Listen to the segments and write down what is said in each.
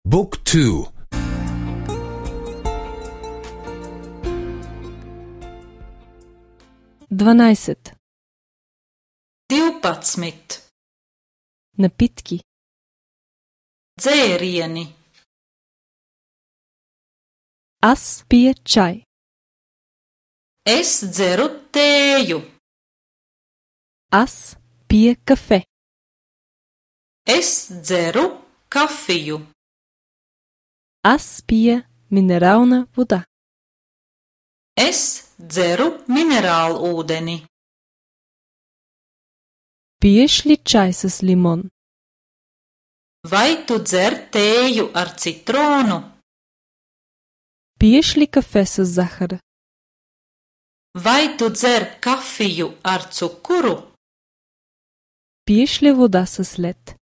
Book 2. 12. 12. Напитки. Dzērieni. Аз пия чай. Es dzeru tēju. Аз пия кафе. Es dzeru kafiju. Аз пия минерална вода. Es dzeru minerālūdeni. Пиеш ли чай с лимон? Vai tu dzer tēju ar citronu? Пиеш ли кафе с захар? Vai tu dzer kafiju ar cukuru? Пиеш ли вода с лед?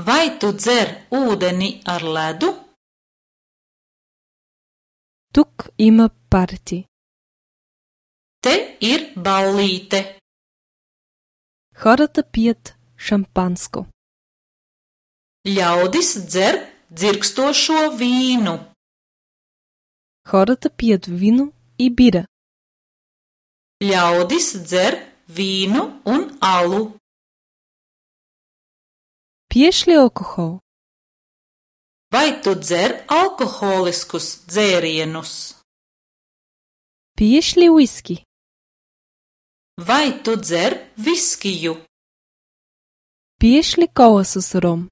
Vai tu dzer ūdeni ar ledu? Тук има парти. Te ir ballīte. Хората пият шампанско. Ļaudis dzer dzirkstošo vīnu. Хората пият вино и бира. Ļaudis dzer vīnu un alu. Пиеш ли алкохол? Vai tu dzer alkoholiskus dzērienus? Пиеш ли уиски? Vai tu dzer viskiju? Пиеш ли кола с ром?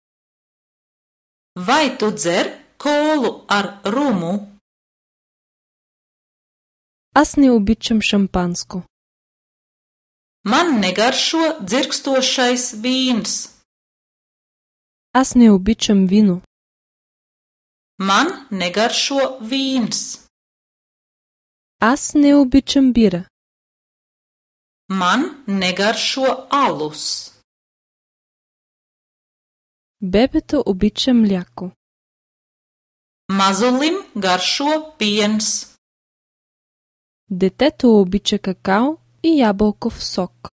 Vai tu dzer kolu ar rumu? Аз не обичам шампанско. Man negaršo dzirkstošais vīns. Аз не обичам вино. Man negaršo vīns. Аз не обичам бира. Man negaršo alus. Бебето обича мляко. Mazulim garšo piens. Детето обича какао и ябълков сок.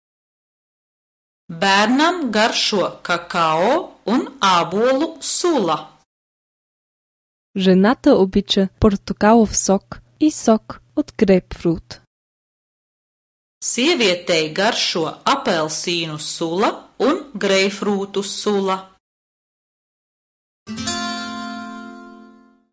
Bērnam garšo kakao un ābolu sula. Жената обича портокалов сок и сок от грейпфрут. Sievietei garšo apelsīnu sula un greifrūtu sula.